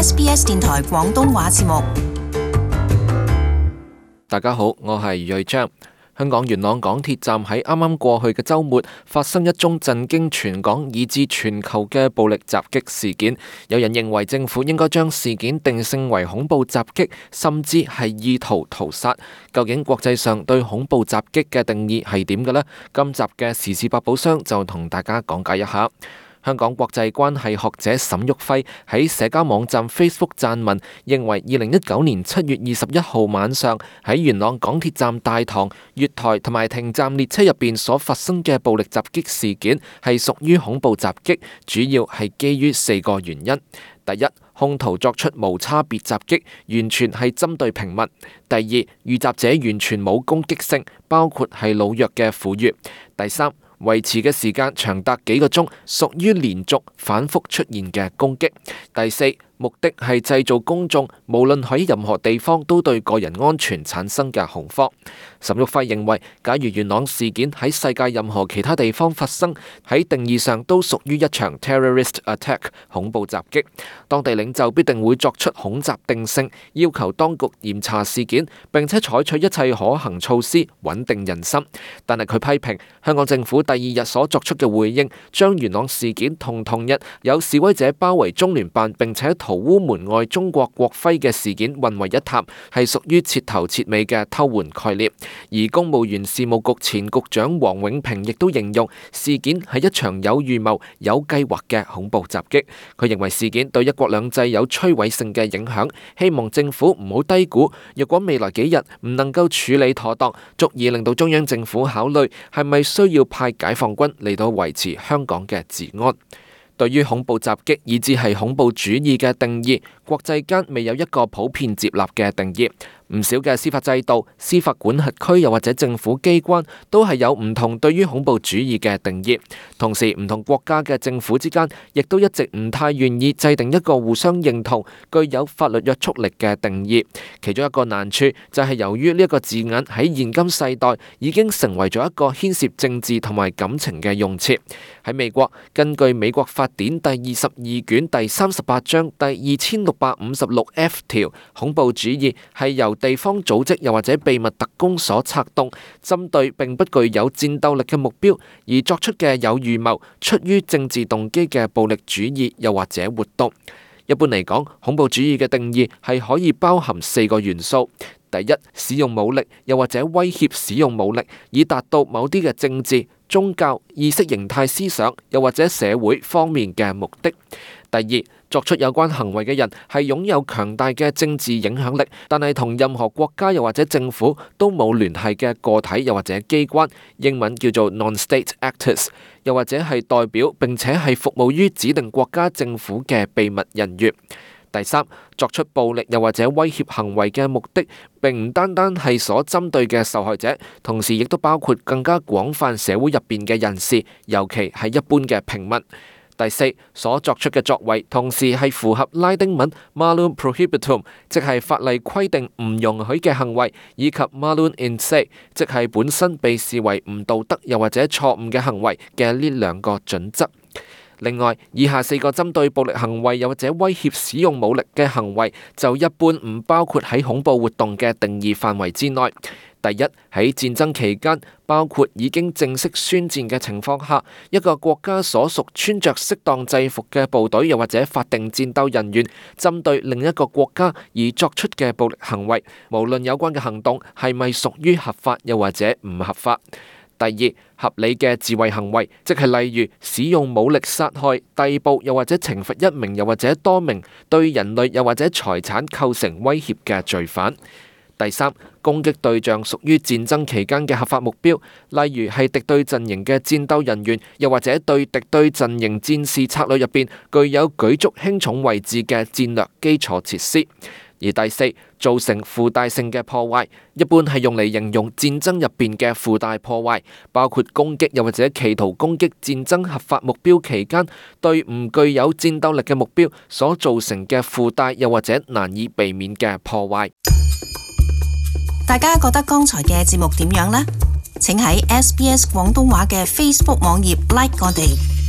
SBS 電台廣東話節目。大家好，我係余瑞章。香港元朗港鐵站喺啱啱過去嘅週末發生一宗震驚全港以至全球嘅暴力襲擊事件。有人認為政府應該將事件定性為恐怖襲擊，甚至係意圖屠殺。究竟國際上對恐怖襲擊嘅定義係點嘅呢？今集嘅時事百寶箱就同大家講解一下。香港國際關係學者沈旭輝喺社交網站 Facebook 撰文，認為2019年7月21號晚上喺元朗港鐵站大堂、月台同埋停站列車入邊所發生嘅暴力襲擊事件係屬於恐怖襲擊，主要係基於4個原因。第一，兇徒作出無差別襲擊，完全係針對平民。第二，遇襲者完全冇攻擊性，包括係老弱嘅婦孺。第三，維持嘅時間長達幾個鐘，屬於連續反覆出現嘅攻擊。第四，目的係製造公眾無論喺任何地方都對個人安全產生嘅恐慌。沈旭輝認為，假如元朗事件喺世界任何其他地方發生，喺定義上都屬於一場 terrorist attack 恐怖襲擊。當地領袖必定會作出恐襲定性，要求當局嚴查事件，並且採取一切可行措施穩定人心。但係佢批評香港政府第二日所作出嘅回應，將元朗事件同日有示威者包圍中聯辦並且塗污門外中國國徽嘅事件混為一談，係屬於徹頭徹尾嘅偷換概念。而公務員事務局前局長王永平亦都形容事件係一場有預謀、有計劃嘅恐怖襲擊。佢認為事件對一國兩制有摧毀性嘅影響，希望政府唔好低估，若果未來幾日唔能夠處理妥當，足以令到中央政府考慮係咪需要派解放軍嚟到維持香港嘅治安。對於恐怖襲擊以至係恐怖主義嘅定義，國際間未有一個普遍接納嘅定義。唔少嘅司法制度、司法管轄區又或者政府機關都係有唔同對於恐怖主義嘅定義。同時，唔同國家嘅政府之間亦都一直唔太願意制定一個互相認同、具有法律約束力嘅定義。其中一個難處就係由於呢一個字眼喺現今世代已經成為咗一個牽涉政治同埋感情嘅用詞。喺美國，根據美國法典第22卷第38章第2656F 條，恐怖主義係由地方組織又或者秘密特工所策動，針對並不具有戰鬥力嘅目標而作出嘅有預謀、出於政治動機嘅暴力主義又或者活動。一般嚟講，恐怖主義嘅定義係可以包含4個元素。第一，使用武力又或者威脅使用武力，以達到某啲嘅政治、宗教、意識形態思想又或者社會方面嘅目的。第二，作出有關行為嘅人係擁有強大嘅政治影響力，但係同任何國家又或者政府都冇聯繫嘅個體又或者機關，英文叫做 non-state actors， 又或者係代表並且係服務於指定國家政府嘅秘密人員。第三，作出暴力又或者威脅行為嘅目的並唔單單係所針對嘅受害者，同時亦都包括更加廣泛社會入邊嘅人士，尤其係一般嘅平民。第四，所作出嘅作為同時係符合拉丁文 malum prohibitum， 即係法例規定唔容許嘅行為，以及 malum in se， 即係本身被視為唔道德又或者錯誤嘅行為嘅呢2個準則。另外，以下4個針對暴力行為又或者威脅使用武力嘅行為，就一般唔包括喺恐怖活動嘅定義範圍之內。第一，喺戰爭期間，包括已經正式宣戰嘅情況下，一個國家所屬穿着適當制服嘅部隊又或者法定戰鬥人員，針對另一個國家而作出嘅暴力行為，無論有關嘅行動係咪屬於合法又或者唔合法。第二，合理嘅自衛行為，即係例如使用武力殺害、逮捕又或者懲罰一名又或者多名對人類又或者財產構成威脅嘅罪犯。第三，攻擊對象屬於戰爭期間嘅合法目標，例如係敵對陣營嘅戰鬥人員，又或者對敵對陣營戰士策略入邊具有舉足輕重位置嘅戰略基礎設施。而第四，造成附帶性嘅破壞，一般係用嚟形容戰爭入邊嘅附帶破壞，包括攻擊又或者企圖攻擊戰爭合法目標期間，對唔具有戰鬥力嘅目標所造成嘅附帶又或者難以避免嘅破壞。大家覺得剛才嘅節目點樣呢？請喺 SBS 廣東話嘅 Facebook 網頁 like 我哋。